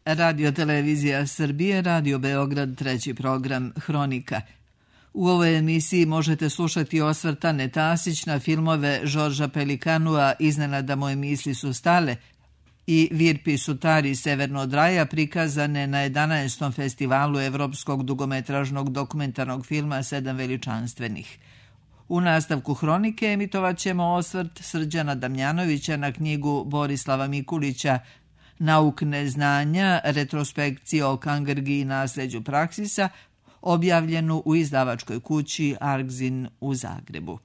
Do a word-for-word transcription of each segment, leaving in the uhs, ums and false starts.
Radio Televizija Srbije, Radio Beograd, treći program Hronika. U ovoj emisiji možete slušati osvrt Ane Tasić na filmove Žorža Pelikanua Iznenada moje misli su stale i Virpi Sutari Severno od raja, prikazane na jedanaestom festivalu evropskog dugometražnog dokumentarnog filma Sedam veličanstvenih. U nastavku Hronike emitovat ćemo osvrt Srđana Damjanovića na knjigu Borislava Mikulića Nauk neznanja, retrospekcija o Kangrgi i nasleđu Praksisa, objavljenu u izdavačkoj kući Argzin u Zagrebu.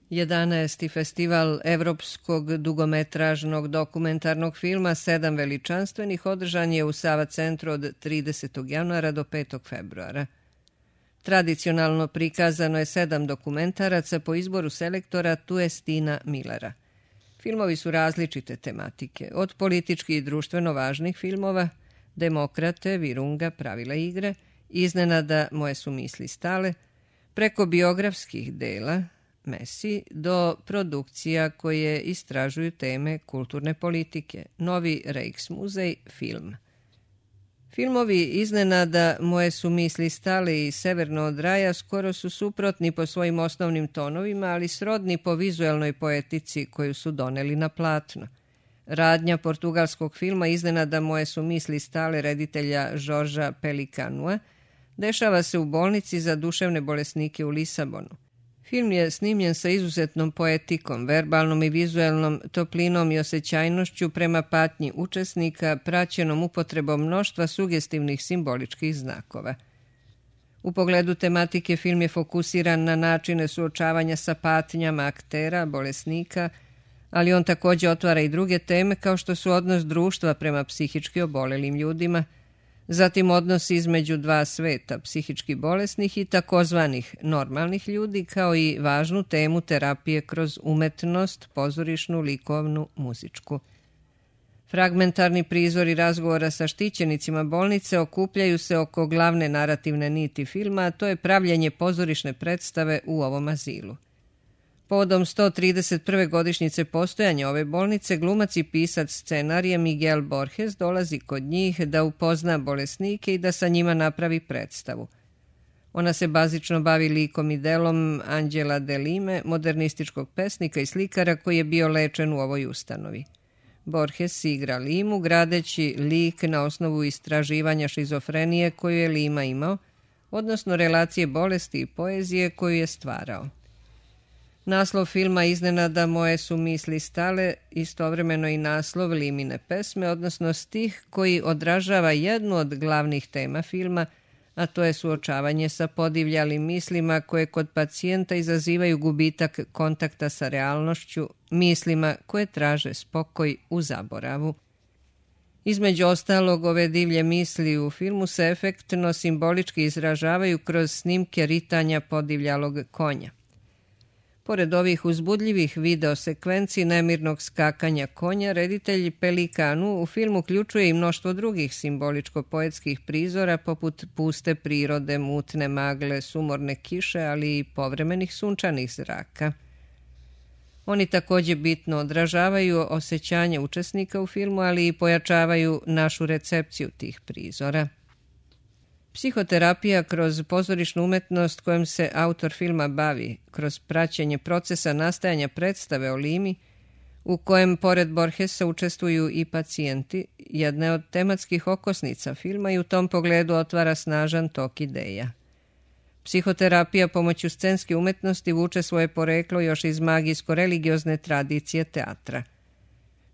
jedanaesti festival evropskog dugometražnog dokumentarnog filma Sedam veličanstvenih održan je u Sava centru od tridesetog januara do petog februara. Tradicionalno prikazano je sedam dokumentaraca po izboru selektora Tuestina Millera. Filmovi su različite tematike, od politički i društveno važnih filmova, Demokrate, Virunga, Pravila igre, Iznenada moje su misli stale, preko biografskih dela, Messi, do produkcija koje istražuju teme kulturne politike, Novi Rijksmuzej, film. Filmovi Iznenada moje su misli stale i Severno od raja skoro su suprotni po svojim osnovnim tonovima, ali srodni po vizuelnoj poetici koju su doneli na platno. Radnja portugalskog filma Iznenada moje su misli stale reditelja Žorža Pelikanua dešava se u bolnici za duševne bolesnike u Lisabonu. Film je snimljen sa izuzetnom poetikom, verbalnom i vizuelnom toplinom i osjećajnošću prema patnji učesnika, praćenom upotrebom mnoštva sugestivnih simboličkih znakova. U pogledu tematike film je fokusiran na načine suočavanja sa patnjama aktera, bolesnika, ali on također otvara i druge teme kao što su odnos društva prema psihički obolelim ljudima, zatim odnos između dva sveta, psihički bolesnih i takozvanih normalnih ljudi, kao i važnu temu terapije kroz umetnost, pozorišnu, likovnu, muzičku. Fragmentarni prizori razgovora sa štićenicima bolnice okupljaju se oko glavne narativne niti filma, a to je pravljenje pozorišne predstave u ovom azilu. Povodom sto trideset prve godišnjice postojanja ove bolnice, glumac i pisac scenarija Miguel Borges dolazi kod njih da upozna bolesnike i da sa njima napravi predstavu. Ona se bazično bavi likom i delom Anđela de Lime, modernističkog pesnika i slikara koji je bio lečen u ovoj ustanovi. Borges igra Limu, gradeći lik na osnovu istraživanja šizofrenije koju je Lima imao, odnosno relacije bolesti i poezije koju je stvarao. Naslov filma Iznenada moje su misli stale, istovremeno i naslov Limine pesme, odnosno stih koji odražava jednu od glavnih tema filma, a to je suočavanje sa podivljalim mislima koje kod pacijenta izazivaju gubitak kontakta sa realnošću, mislima koje traže spokoj u zaboravu. Između ostalog, ove divlje misli u filmu se efektno simbolički izražavaju kroz snimke ritanja podivljalog konja. Pored ovih uzbudljivih videosekvenci nemirnog skakanja konja, reditelj Pelikanu u film uključuje i mnoštvo drugih simboličko-poetskih prizora poput puste prirode, mutne magle, sumorne kiše, ali i povremenih sunčanih zraka. Oni također bitno odražavaju osjećanje učesnika u filmu, ali i pojačavaju našu recepciju tih prizora. Psihoterapija kroz pozorišnu umetnost kojom se autor filma bavi, kroz praćenje procesa nastajanja predstave o Limi, u kojem pored Borgesa učestvuju i pacijenti, jedne od tematskih okosnica filma i u tom pogledu otvara snažan tok ideja. Psihoterapija pomoću scenske umetnosti vuče svoje poreklo još iz magijsko-religiozne tradicije teatra.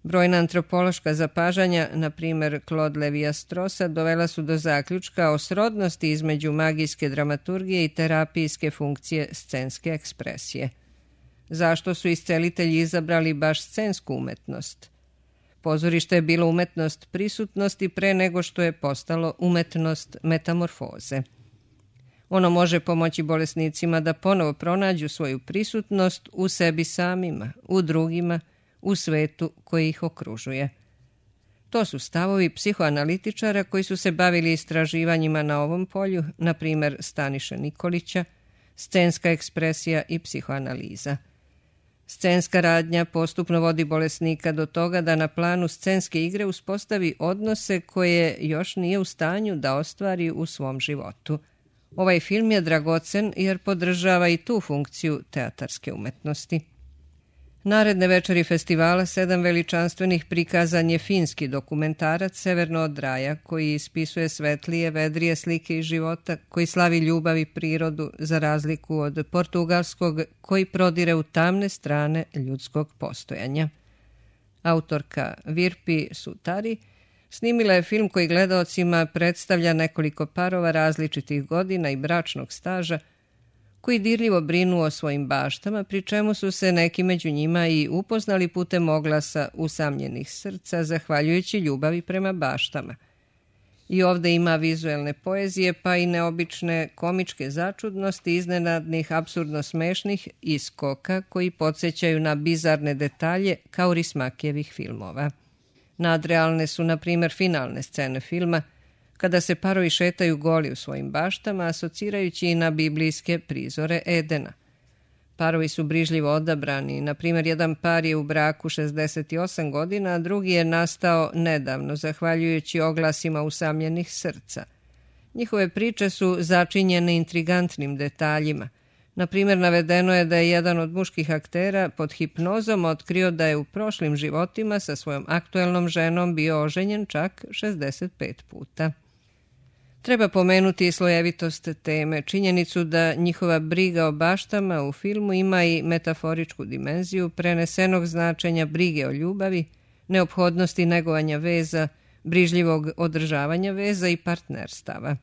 Brojna antropološka zapažanja, na primjer Claude Levi-Strosa, dovela su do zaključka o srodnosti između magijske dramaturgije i terapijske funkcije scenske ekspresije. Zašto su iscelitelji izabrali baš scensku umetnost? Pozorište je bilo umetnost prisutnosti pre nego što je postalo umetnost metamorfoze. Ono može pomoći bolesnicima da ponovo pronađu svoju prisutnost u sebi samima, u drugima, u svetu koji ih okružuje. To su stavovi psihoanalitičara koji su se bavili istraživanjima na ovom polju, na primjer Staniše Nikolića, scenska ekspresija i psihoanaliza. Scenska radnja postupno vodi bolesnika do toga da na planu scenske igre uspostavi odnose koje još nije u stanju da ostvari u svom životu. Ovaj film je dragocen jer podržava i tu funkciju teatarske umetnosti. Naredne večeri festivala Sedam veličanstvenih prikazan je finski dokumentarac Severno od raja, koji ispisuje svetlije, vedrije slike iz života, koji slavi ljubav i prirodu za razliku od portugalskog koji prodire u tamne strane ljudskog postojanja. Autorka Virpi Sutari snimila je film koji gledaocima predstavlja nekoliko parova različitih godina i bračnog staža koji dirljivo brinu o svojim baštama, pri čemu su se neki među njima i upoznali putem oglasa usamljenih srca, zahvaljujući ljubavi prema baštama. I ovde ima vizuelne poezije, pa i neobične komičke začudnosti, iznenadnih, apsurdno smešnih iskoka koji podsjećaju na bizarne detalje kao Rismakijevih filmova. Nadrealne su, na primjer, finalne scene filma, kada se parovi šetaju goli u svojim baštama, asocirajući i na biblijske prizore Edena. Parovi su brižljivo odabrani, na primjer jedan par je u braku šezdeset osam godina, a drugi je nastao nedavno, zahvaljujući oglasima usamljenih srca. Njihove priče su začinjene intrigantnim detaljima. Na primjer, navedeno je da je jedan od muških aktera pod hipnozom otkrio da je u prošlim životima sa svojom aktuelnom ženom bio oženjen čak šezdeset pet puta. Treba pomenuti i slojevitost teme, činjenicu da njihova briga o baštama u filmu ima i metaforičku dimenziju prenesenog značenja brige o ljubavi, neophodnosti negovanja veza, brižljivog održavanja veza i partnerstava.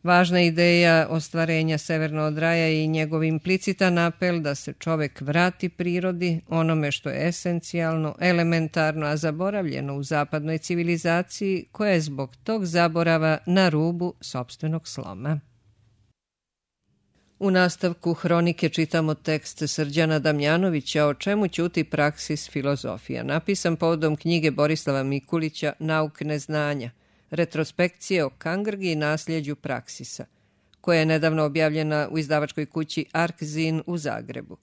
Važna ideja ostvarenja Severno od raja i njegov implicitan apel da se čovek vrati prirodi, onome što je esencijalno, elementarno, a zaboravljeno u zapadnoj civilizaciji, koja je zbog tog zaborava na rubu sopstvenog sloma. U nastavku hronike čitamo tekst Srđana Damjanovića O čemu ćuti praksis filozofija, napisan povodom knjige Borislava Mikulića Nauk neznanja, retrospekcije o Kangrgi i nasljeđu praksisa, koja je nedavno objavljena u izdavačkoj kući Arkzin u Zagrebu.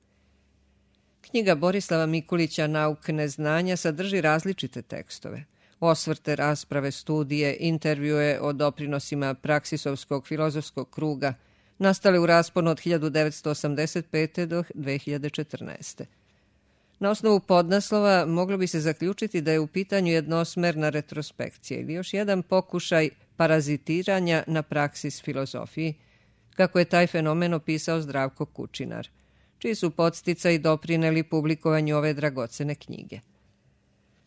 Knjiga Borislava Mikulića Nauk neznanja sadrži različite tekstove, osvrte, rasprave, studije, intervjue o doprinosima praksisovskog filozofskog kruga, nastale u rasponu od hiljadu devetsto osamdeset pete do dve hiljade četrnaeste. Na osnovu podnaslova moglo bi se zaključiti da je u pitanju jednosmerna retrospekcija ili još jedan pokušaj parazitiranja na praksis filozofiji, kako je taj fenomen opisao Zdravko Kučinar, čiji su podsticaji doprineli publikovanju ove dragocene knjige.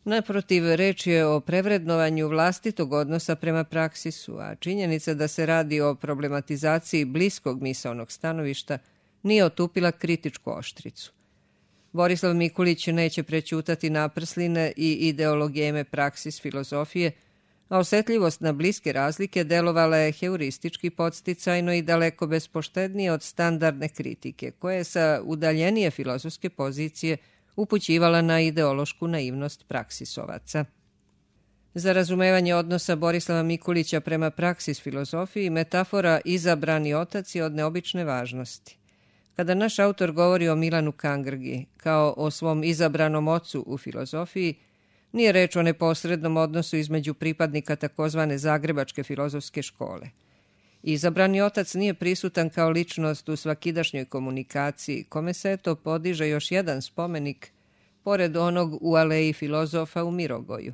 Naprotiv, reč je o prevrednovanju vlastitog odnosa prema praksisu, a činjenica da se radi o problematizaciji bliskog misaonog stanovišta nije otupila kritičku oštricu. Borislav Mikulić neće prećutati naprsline i ideologijeme praksis filozofije, a osetljivost na bliske razlike delovala je heuristički podsticajno i daleko bespoštednije od standardne kritike, koja je sa udaljenije filozofske pozicije upućivala na ideološku naivnost praksisovaca. Za razumevanje odnosa Borislava Mikulića prema praksis filozofiji, metafora izabrani otac je od neobične važnosti. Kada naš autor govori o Milanu Kangrgi kao o svom izabranom ocu u filozofiji, nije reč o neposrednom odnosu između pripadnika takozvane Zagrebačke filozofske škole. Izabrani otac nije prisutan kao ličnost u svakidašnjoj komunikaciji, kome se eto podiže još jedan spomenik, pored onog u aleji filozofa u Mirogoju.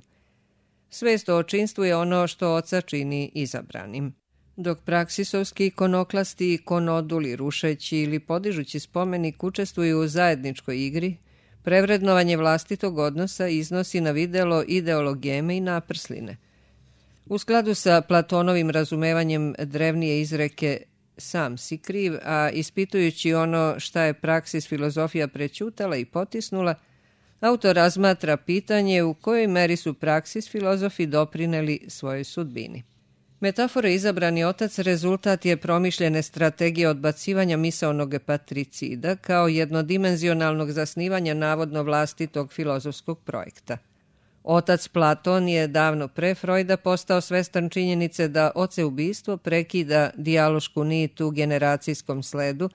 Svest o očinstvu je ono što oca čini izabranim. Dok praksisovski ikonoklasti i konoduli, rušeći ili podižući spomenik, učestvuju u zajedničkoj igri, prevrednovanje vlastitog odnosa iznosi na videlo ideologijeme i naprsline. U skladu sa Platonovim razumevanjem drevnije izreke sam si kriv, a ispitujući ono šta je praksis filozofija prećutala i potisnula, autor razmatra pitanje u kojoj meri su praksis filozofi doprineli svojoj sudbini. Metafora izabrani otac rezultat je promišljene strategije odbacivanja misaonog patricida kao jednodimenzionalnog zasnivanja navodno vlastitog filozofskog projekta. Otac Platon je davno pre Freuda postao svestan činjenice da oceubistvo prekida dijalošku nit u generacijskom sledu,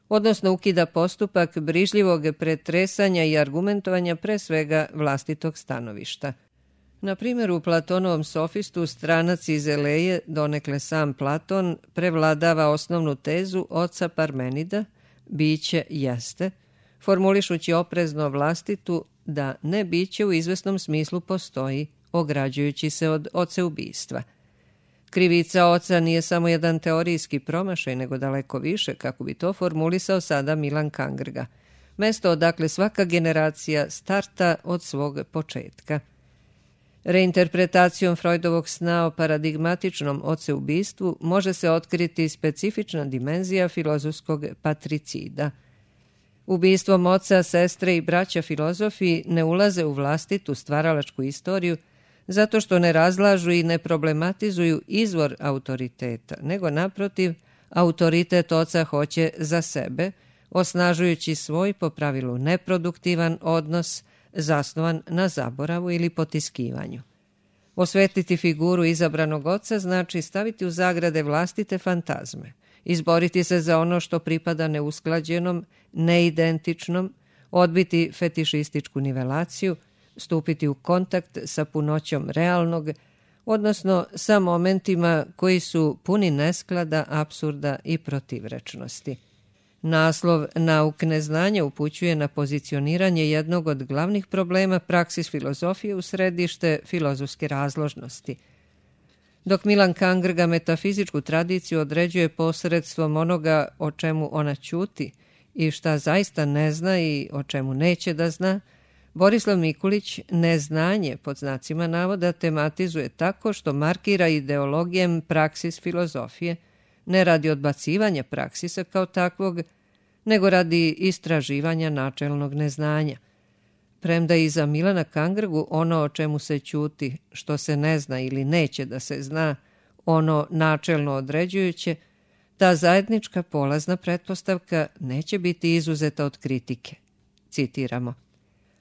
odnosno ukida postupak brižljivog pretresanja i argumentovanja pre svega vlastitog stanovišta. Na primjer, u Platonovom sofistu stranac iz Eleje, donekle sam Platon, prevladava osnovnu tezu oca Parmenida, biće jeste, formulišući oprezno vlastitu da ne biće u izvesnom smislu postoji, ograđujući se od oceubistva. Krivica oca nije samo jedan teorijski promašaj, nego daleko više, kako bi to formulisao sada Milan Kangrga. Mesto odakle svaka generacija starta od svog početka. Reinterpretacijom Freudovog sna o paradigmatičnom oceubistvu može se otkriti specifična dimenzija filozofskog patricida. Ubistvom oca, sestre i braća filozofi ne ulaze u vlastitu stvaralačku istoriju zato što ne razlažu i ne problematizuju izvor autoriteta, nego naprotiv, autoritet oca hoće za sebe, osnažujući svoj po pravilu neproduktivan odnos zasnovan na zaboravu ili potiskivanju. Osvetliti figuru izabranog oca znači staviti u zagrade vlastite fantazme, izboriti se za ono što pripada neusklađenom, neidentičnom, odbiti fetišističku nivelaciju, stupiti u kontakt sa punoćom realnog, odnosno sa momentima koji su puni nesklada, apsurda i protivrečnosti. Naslov Nauk neznanja upućuje na pozicioniranje jednog od glavnih problema praksis filozofije u središte filozofske razložnosti. Dok Milan Kangrga metafizičku tradiciju određuje posredstvom onoga o čemu ona ćuti i šta zaista ne zna i o čemu neće da zna, Borislav Mikulić neznanje, pod znacima navoda, tematizuje tako što markira ideologijem praksis filozofije, ne radi odbacivanja praksisa kao takvog, nego radi istraživanja načelnog neznanja. Premda i za Milana Kangrgu ono o čemu se ćuti, što se ne zna ili neće da se zna, ono načelno određujuće, ta zajednička polazna pretpostavka neće biti izuzeta od kritike. Citiramo.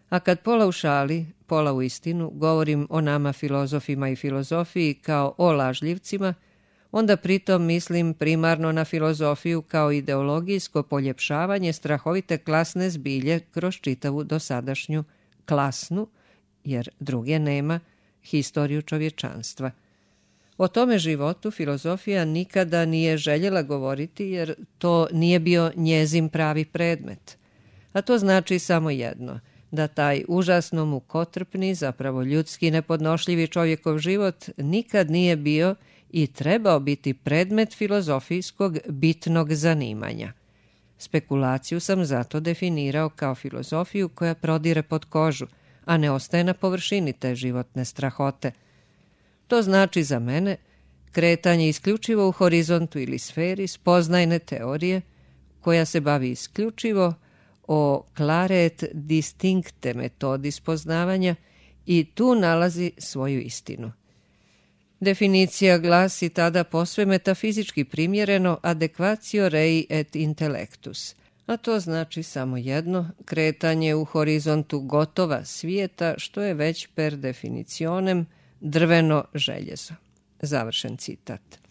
A kad pola u šali, pola u istinu, govorim o nama filozofima i filozofiji kao o lažljivcima, onda pritom mislim primarno na filozofiju kao ideologijsko poljepšavanje strahovite klasne zbilje kroz čitavu dosadašnju klasnu, jer druge nema, historiju čovječanstva. O tome životu filozofija nikada nije željela govoriti jer to nije bio njezin pravi predmet. A to znači samo jedno, da taj užasno mukotrpni, zapravo ljudski nepodnošljivi čovjekov život nikad nije bio i trebao biti predmet filozofijskog bitnog zanimanja. Spekulaciju sam zato definirao kao filozofiju koja prodire pod kožu, a ne ostaje na površini te životne strahote. To znači za mene kretanje isključivo u horizontu ili sferi spoznajne teorije koja se bavi isključivo o claret distincte metodi spoznavanja i tu nalazi svoju istinu. Definicija glasi tada posve metafizički primjereno adequatio rei et intellectus, a to znači samo jedno, kretanje u horizontu gotova svijeta, što je već per definicionem drveno željezo. Završen citat.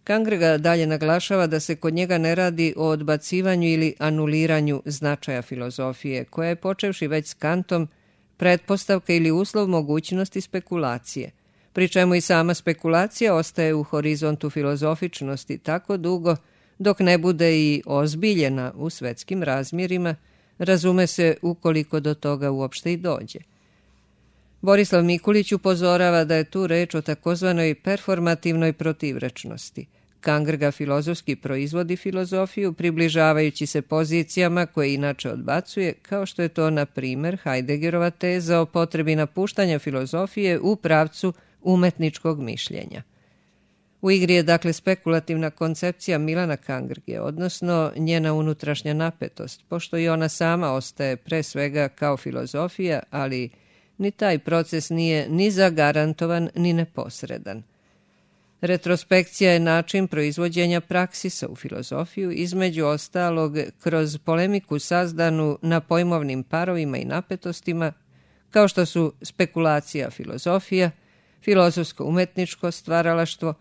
Kangrga dalje naglašava da se kod njega ne radi o odbacivanju ili anuliranju značaja filozofije, koja je, počevši već s Kantom, pretpostavka ili uslov mogućnosti spekulacije, pri čemu i sama spekulacija ostaje u horizontu filozofičnosti tako dugo dok ne bude i ozbiljena u svetskim razmjerima, razume se ukoliko do toga uopšte i dođe. Borislav Mikulić upozorava da je tu reč o takozvanoj performativnoj protivrečnosti. Kangrga filozofski proizvodi filozofiju, približavajući se pozicijama koje inače odbacuje, kao što je to, na primjer, Heideggerova teza o potrebi napuštanja filozofije u pravcu umetničkog mišljenja. U igri je dakle spekulativna koncepcija Milana Kangrge, odnosno njena unutrašnja napetost, pošto i ona sama ostaje pre svega kao filozofija, ali ni taj proces nije ni zagarantovan ni neposredan. Retrospekcija je način proizvođenja praksisa u filozofiju, između ostalog kroz polemiku sazdanu na pojmovnim parovima i napetostima, kao što su spekulacija filozofija, filozofsko-umetničko stvaralaštvo,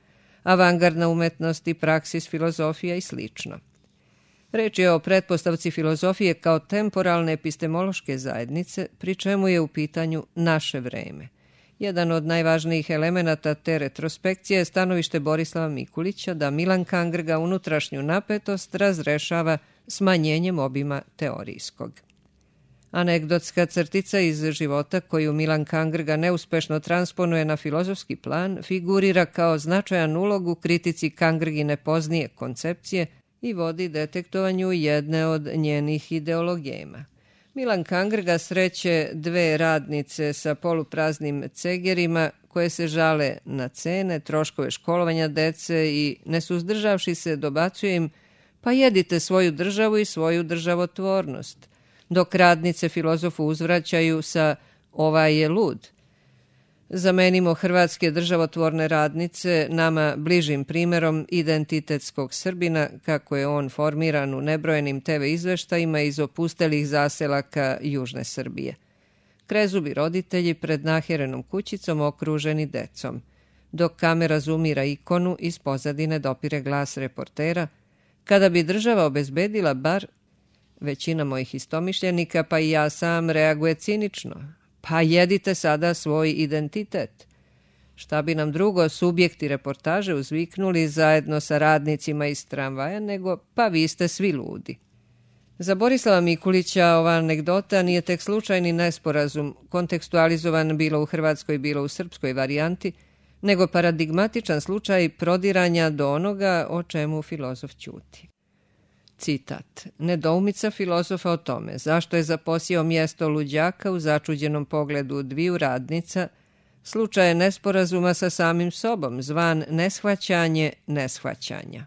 avangardna umetnost i praksis filozofija i slično. Reč je o pretpostavci filozofije kao temporalne epistemološke zajednice, pri čemu je u pitanju naše vreme. Jedan od najvažnijih elemenata te retrospekcije je stanovište Borislava Mikulića da Milan Kangrga unutrašnju napetost razrešava smanjenjem obima teorijskog. Anegdotska crtica iz života koju Milan Kangrga neuspešno transponuje na filozofski plan figurira kao značajan ulog u kritici Kangrgine poznije koncepcije i vodi detektovanju jedne od njenih ideologema. Milan Kangrga sreće dve radnice sa polupraznim cegerima koje se žale na cene, troškove školovanja dece i, ne suzdržavši se, dobacuje im: pa jedite svoju državu i svoju državotvornost, dok radnice filozofu uzvraćaju sa: ovaj je lud. Zamenimo hrvatske državotvorne radnice nama bližim primjerom identitetskog Srbina, kako je on formiran u nebrojenim te ve izveštajima iz opustelih zaselaka Južne Srbije. Krezubi roditelji pred naherenom kućicom okruženi decom. Dok kamera zoomira ikonu, iz pozadine dopire glas reportera: kada bi država obezbedila bar... Većina mojih istomišljenika, pa i ja sam, reaguje cinično: pa jedite sada svoj identitet. Šta bi nam drugo subjekti reportaže uzviknuli zajedno sa radnicima iz tramvaja nego: pa vi ste svi ludi. Za Borislava Mikulića ova anegdota nije tek slučajni nesporazum, kontekstualizovan bilo u hrvatskoj, bilo u srpskoj varijanti, nego paradigmatičan slučaj prodiranja do onoga o čemu filozof ćuti. Citat: nedoumica filozofa o tome zašto je zaposjeo mjesto luđaka u začuđenom pogledu dviju radnica slučaj je nesporazuma sa samim sobom, zvan neshvaćanje neshvaćanja.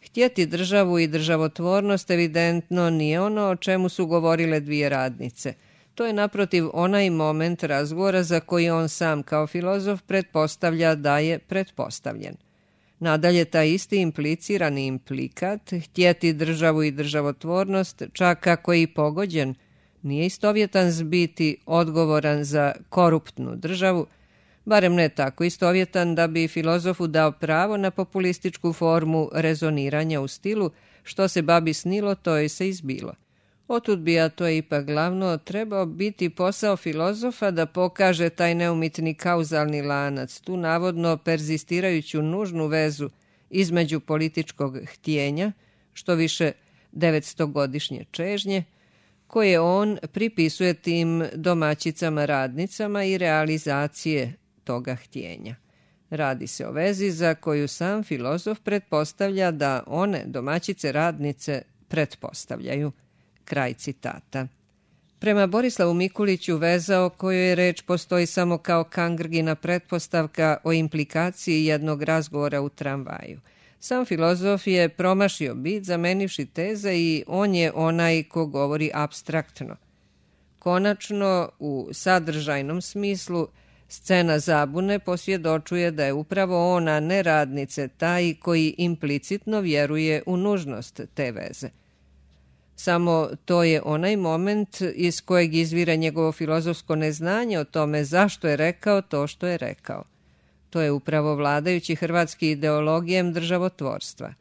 Htjeti državu i državotvornost evidentno nije ono o čemu su govorile dvije radnice. To je naprotiv onaj moment razgovora za koji on sam kao filozof pretpostavlja da je pretpostavljen. Nadalje, taj isti implicirani implikat, htjeti državu i državotvornost, čak ako je i pogođen, nije istovjetan s biti odgovoran za koruptnu državu, barem ne tako istovjetan da bi filozofu dao pravo na populističku formu rezoniranja u stilu što se babi snilo, to je se izbilo. Otud bi, a to je ipak glavno, trebao biti posao filozofa da pokaže taj neumitni kauzalni lanac, tu navodno perzistirajuću nužnu vezu između političkog htjenja, što više devetstogodišnje čežnje, koje on pripisuje tim domaćicama radnicama i realizacije toga htjenja. Radi se o vezi za koju sam filozof pretpostavlja da one domaćice radnice pretpostavljaju. Kraj citata. Prema Borislavu Mikuliću veza o kojoj je reč postoji samo kao Kangrgina pretpostavka o implikaciji jednog razgovora u tramvaju. Sam filozof je promašio bit zamenivši teze i on je onaj ko govori apstraktno. Konačno, u sadržajnom smislu, scena zabune posvjedočuje da je upravo ona, ne radnice, taj koji implicitno vjeruje u nužnost te veze. Samo to je onaj moment iz kojeg izvira njegovo filozofsko neznanje o tome zašto je rekao to što je rekao. To je upravo vladajući hrvatski ideologijem državotvorstva.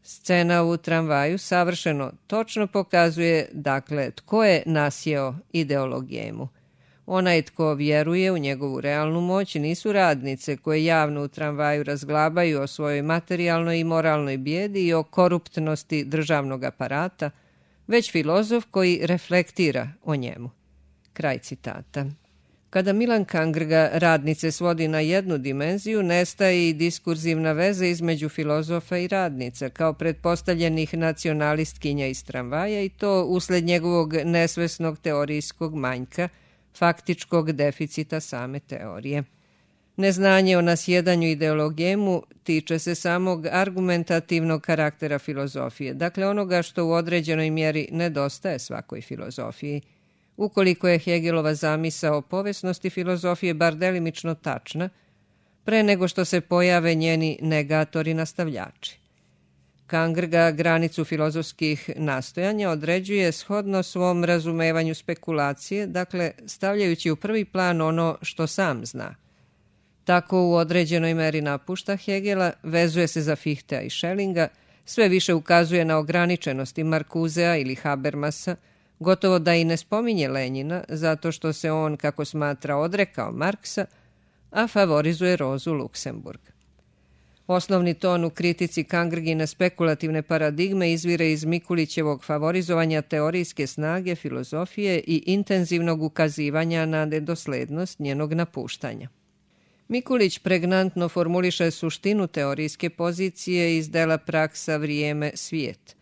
Scena u tramvaju savršeno točno pokazuje, dakle, tko je nasjeo ideologijemu. Onaj tko vjeruje u njegovu realnu moć nisu radnice koje javno u tramvaju razglabaju o svojoj materijalnoj i moralnoj bijedi i o koruptnosti državnog aparata, već filozof koji reflektira o njemu. Kraj citata. Kada Milan Kangrga radnice svodi na jednu dimenziju, nestaje i diskurzivna veza između filozofa i radnica, kao pretpostavljenih nacionalistkinja iz tramvaja, i to usled njegovog nesvesnog teorijskog manjka, faktičkog deficita same teorije. Neznanje o nasjedanju ideologijemu tiče se samog argumentativnog karaktera filozofije, dakle onoga što u određenoj mjeri nedostaje svakoj filozofiji. Ukoliko je Hegelova zamisao o povesnosti filozofije bar delimično tačna, pre nego što se pojave njeni negatori nastavljači. Kangrga granicu filozofskih nastojanja određuje shodno svom razumevanju spekulacije, dakle stavljajući u prvi plan ono što sam zna. Tako u određenoj meri napušta Hegela, vezuje se za Fichtea i Schellinga, sve više ukazuje na ograničenosti Markuzea ili Habermasa, gotovo da i ne spominje Lenjina, zato što se on, kako smatra, odrekao Marksa, a favorizuje Rozu Luksemburg. Osnovni ton u kritici Kangrgine spekulativne paradigme izvire iz Mikulićevog favorizovanja teorijske snage, filozofije i intenzivnog ukazivanja na nedoslednost njenog napuštanja. Mikulić pregnantno formuliše suštinu teorijske pozicije iz dela Praksa, vrijeme, svijet.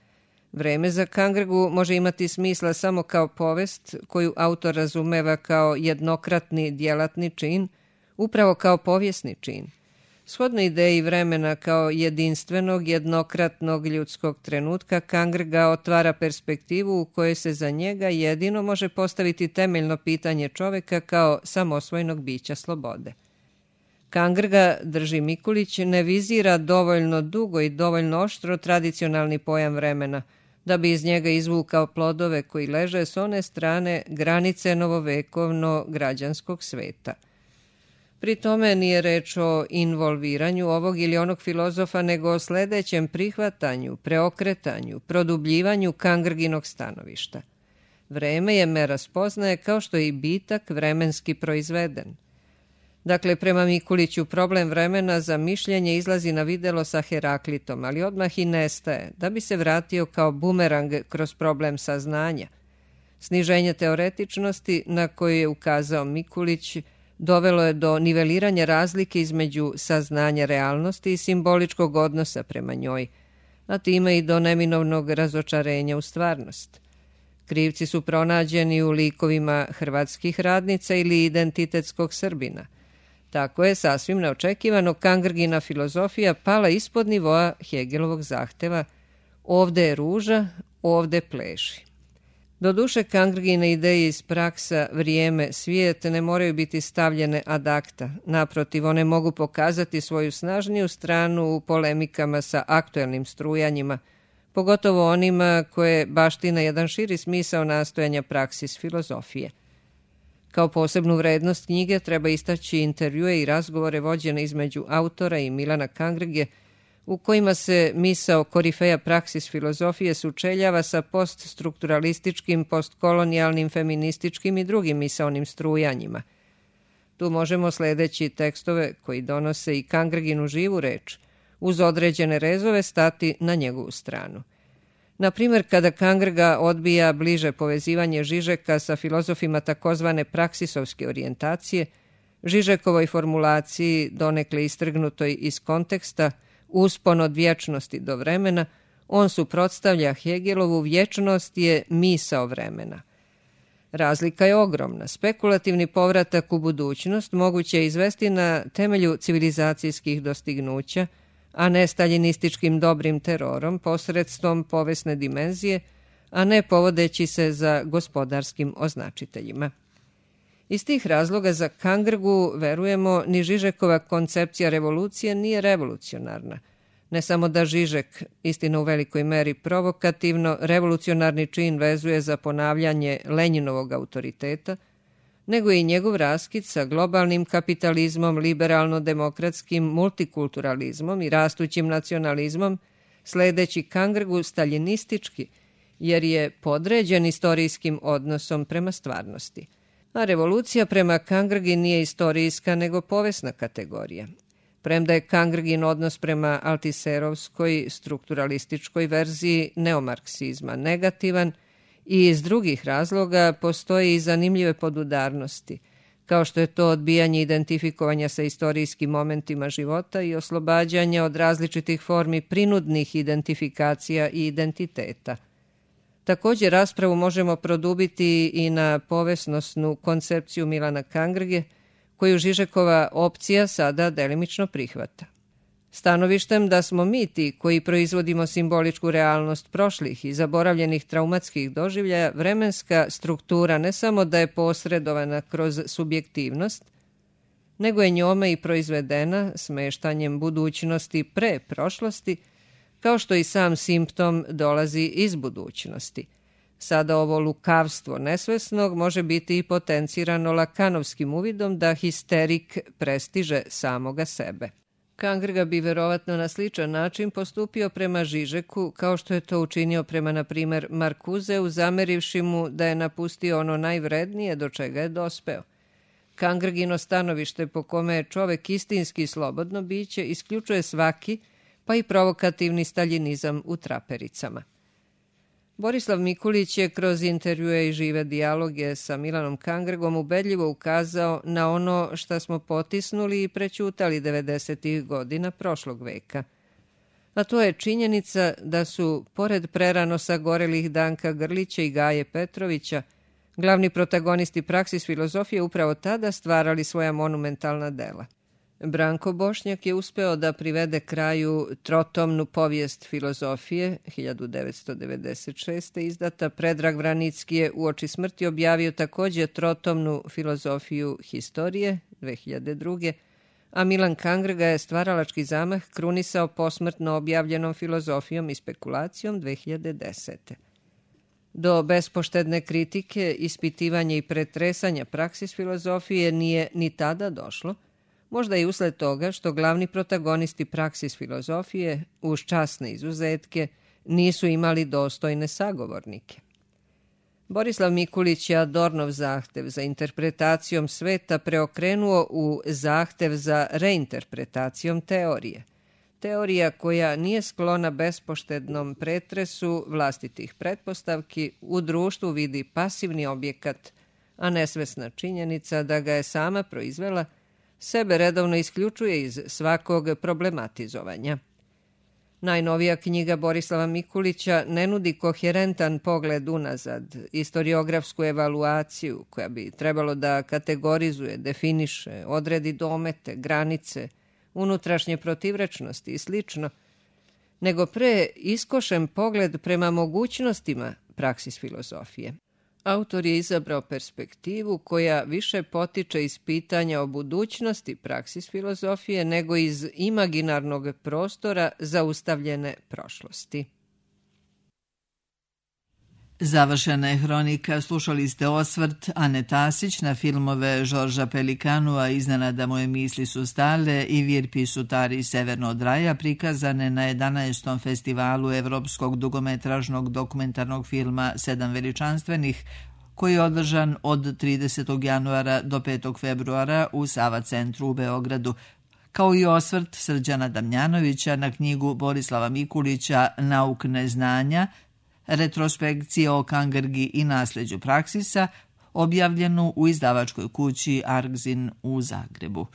Vreme za Kangrgu može imati smisla samo kao povest koju autor razumeva kao jednokratni djelatni čin, upravo kao povijesni čin. Shodno ideji vremena kao jedinstvenog, jednokratnog ljudskog trenutka, Kangrga otvara perspektivu u kojoj se za njega jedino može postaviti temeljno pitanje čoveka kao samosvojnog bića slobode. Kangrga, drži Mikulić, ne vizira dovoljno dugo i dovoljno oštro tradicionalni pojam vremena, da bi iz njega izvukao plodove koji leže s one strane granice novovekovno građanskog sveta. Pri tome nije reč o involviranju ovog ili onog filozofa, nego o sledećem prihvatanju, preokretanju, produbljivanju Kangrginog stanovišta. Vreme je mera spoznaje kao što je i bitak vremenski proizveden. Dakle, prema Mikuliću problem vremena za mišljenje izlazi na videlo sa Heraklitom, ali odmah i nestaje, da bi se vratio kao bumerang kroz problem saznanja. Sniženje teoretičnosti na koje je ukazao Mikulić dovelo je do niveliranja razlike između saznanja realnosti i simboličkog odnosa prema njoj, a time i do neminovnog razočarenja u stvarnost. Krivci su pronađeni u likovima hrvatskih radnica ili identitetskog Srbina. Tako je sasvim neočekivano Kangrgina filozofija pala ispod nivoa Hegelovog zahteva ovde je ruža, ovde pleši. Doduše, Kangrgine ideje iz Praksa, vrijeme, svijet ne moraju biti stavljene ad acta. Naprotiv, one mogu pokazati svoju snažniju stranu u polemikama sa aktuelnim strujanjima, pogotovo onima koje baština jedan širi smisao nastojanja praksis filozofije. Kao posebnu vrednost knjige treba istaći intervjue i razgovore vođene između autora i Milana Kangrge, u kojima se misao korifeja praksis filozofije sučeljava sa poststrukturalističkim, postkolonijalnim, feminističkim i drugim misaonim strujanjima. Tu možemo sledeći tekstove koji donose i Kangrginu živu reč, uz određene rezove stati na njegovu stranu. Na primjer, kada Kangrga odbija bliže povezivanje Žižeka sa filozofima takozvane praksisovske orijentacije, Žižekovoj formulaciji, donekle istrgnutoj iz konteksta, uspon od vječnosti do vremena, on suprotstavlja Hegelovu vječnost je misao vremena. Razlika je ogromna. Spekulativni povratak u budućnost moguće je izvesti na temelju civilizacijskih dostignuća, a ne staljinističkim dobrim terorom posredstvom povesne dimenzije, a ne povodeći se za gospodarskim označiteljima. Iz tih razloga za Kangrgu, verujemo, ni Žižekova koncepcija revolucije nije revolucionarna. Ne samo da Žižek, istina u velikoj meri provokativno, revolucionarni čin vezuje za ponavljanje Lenjinovog autoriteta, nego i njegov raskid sa globalnim kapitalizmom, liberalno-demokratskim multikulturalizmom i rastućim nacionalizmom, sledeći Kangrgu staljinistički, jer je podređen istorijskim odnosom prema stvarnosti. A revolucija prema Kangrgi nije istorijska nego povesna kategorija. Premda je Kangrgin odnos prema altiserovskoj strukturalističkoj verziji neomarksizma negativan, i iz drugih razloga postoje i zanimljive podudarnosti, kao što je to odbijanje identifikovanja sa istorijskim momentima života i oslobađanje od različitih formi prinudnih identifikacija i identiteta. Također raspravu možemo produbiti i na povesnosnu koncepciju Milana Kangrge, koju Žižekova opcija sada delimično prihvata. Stanovištem da smo mi ti koji proizvodimo simboličku realnost prošlih i zaboravljenih traumatskih doživljaja, vremenska struktura ne samo da je posredovana kroz subjektivnost, nego je njome i proizvedena smeštanjem budućnosti pre prošlosti, kao što i sam simptom dolazi iz budućnosti. Sada ovo lukavstvo nesvesnog može biti i potencirano lakanovskim uvidom da histerik prestiže samoga sebe. Kangrga bi verovatno na sličan način postupio prema Žižeku, kao što je to učinio prema, na primer, Markuzeu, zamerivši mu da je napustio ono najvrednije do čega je dospeo. Kangrgino stanovište po kome je čovek istinski slobodno biće isključuje svaki, pa i provokativni staljinizam u trapericama. Borislav Mikulić je kroz intervjue i žive dijaloge sa Milanom Kangrgom ubedljivo ukazao na ono što smo potisnuli i prećutali devedesetih godina prošlog veka. A to je činjenica da su, pored prerano sagorelih Danka Grlića i Gaje Petrovića, glavni protagonisti praksis filozofije upravo tada stvarali svoja monumentalna dela. Branko Bošnjak je uspeo da privede kraju trotomnu povijest filozofije hiljadu devetsto devedeset šeste. izdata. Predrag Vranicki je uoči smrti objavio također trotomnu filozofiju historije dve hiljade druge. a Milan Kangrga je stvaralački zamah krunisao posmrtno objavljenom filozofijom i spekulacijom dve hiljade desete. Do bespoštedne kritike, ispitivanja i pretresanja praksis filozofije nije ni tada došlo, možda i usled toga što glavni protagonisti praksis filozofije, uz časne izuzetke, nisu imali dostojne sagovornike. Borislav Mikulić je Adornov zahtev za interpretacijom sveta preokrenuo u zahtev za reinterpretacijom teorije. Teorija koja nije sklona bespoštednom pretresu vlastitih pretpostavki u društvu vidi pasivni objekat, a nesvesna činjenica da ga je sama proizvela sebe redovno isključuje iz svakog problematizovanja. Najnovija knjiga Borislava Mikulića ne nudi koherentan pogled unazad, istoriografsku evaluaciju koja bi trebalo da kategorizuje, definiše, odredi domete, granice, unutrašnje protivrečnosti i slično, nego pre iskošen pogled prema mogućnostima praksis filozofije. Autor je izabrao perspektivu koja više potiče iz pitanja o budućnosti praksis filozofije nego iz imaginarnog prostora zaustavljene prošlosti. Završena je hronika, slušali ste osvrt Ane Tasić na filmove Žorža Pelikanua Iznenada moje misli su stale i Virpi Sutari Severno od raja, prikazane na jedanaestom festivalu evropskog dugometražnog dokumentarnog filma Sedam veličanstvenih, koji je održan od tridesetog januara do petog februara u Sava centru u Beogradu, kao i osvrt Srđana Damjanovića na knjigu Borislava Mikulića Nauk neznanja, retrospekcije o Kangrgi i nasljeđu praksisa, objavljenu u izdavačkoj kući Argzin u Zagrebu.